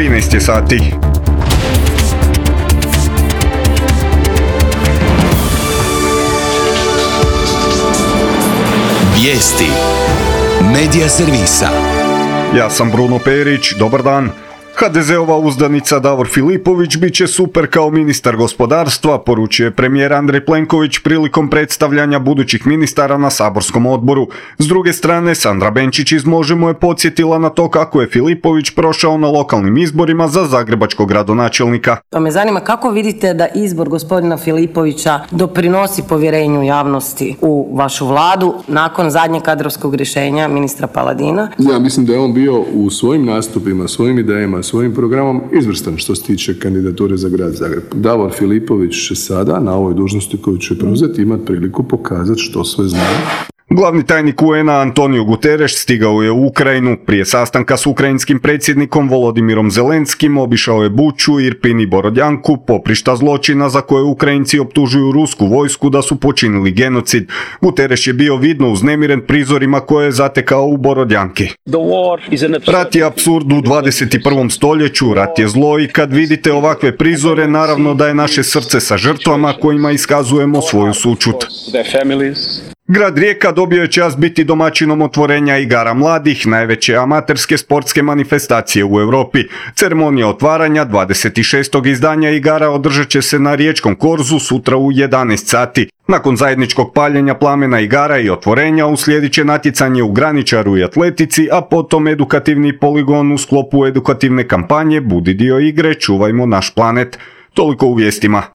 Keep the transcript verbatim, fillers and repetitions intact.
trinaest je sati. Vijesti Medija servisa. Ja sam Bruno Perić, dobar dan. ha de zeova uzdanica Davor Filipović bit će super kao ministar gospodarstva, poručio je premijer Andrej Plenković prilikom predstavljanja budućih ministara na saborskom odboru. S druge strane, Sandra Benčić iz Možemo je podsjetila na to kako je Filipović prošao na lokalnim izborima za zagrebačkog gradonačelnika. Pa me zanima kako vidite da izbor gospodina Filipovića doprinosi povjerenju javnosti u vašu vladu nakon zadnjeg kadrovskog rješenja ministra Paladina? Ja mislim da je on bio u svojim nastupima, svojim idejama, svojim programom izvrstan što se tiče kandidature za grad Zagreb. Davor Filipović će sada na ovoj dužnosti koju će preuzeti imati priliku pokazati što sve zna. Glavni tajnik u en a Antonio Guterres stigao je u Ukrajinu. Prije sastanka s ukrajinskim predsjednikom Volodimirom Zelenskim obišao je Buču, Irpin i Borodjanku, poprišta zločina za koje Ukrajinci optužuju rusku vojsku da su počinili genocid. Guterres je bio vidno uznemiren prizorima koje je zatekao u Borodjanki. Rat je apsurd u dvadeset i prvom stoljeću, rat je zlo i kad vidite ovakve prizore, naravno da je naše srce sa žrtvama kojima iskazujemo svoju sućut. Grad Rijeka dobio je čast biti domaćinom otvorenja igara mladih, najveće amaterske sportske manifestacije u Europi. Ceremonija otvaranja dvadeset šestog izdanja igara održat će se na Riječkom korzu sutra u jedanaest sati. Nakon zajedničkog paljenja plamena igara i otvorenja uslijedit će natjecanje u graničaru i atletici, a potom edukativni poligon u sklopu edukativne kampanje Budi dio igre, čuvajmo naš planet. Toliko u vijestima.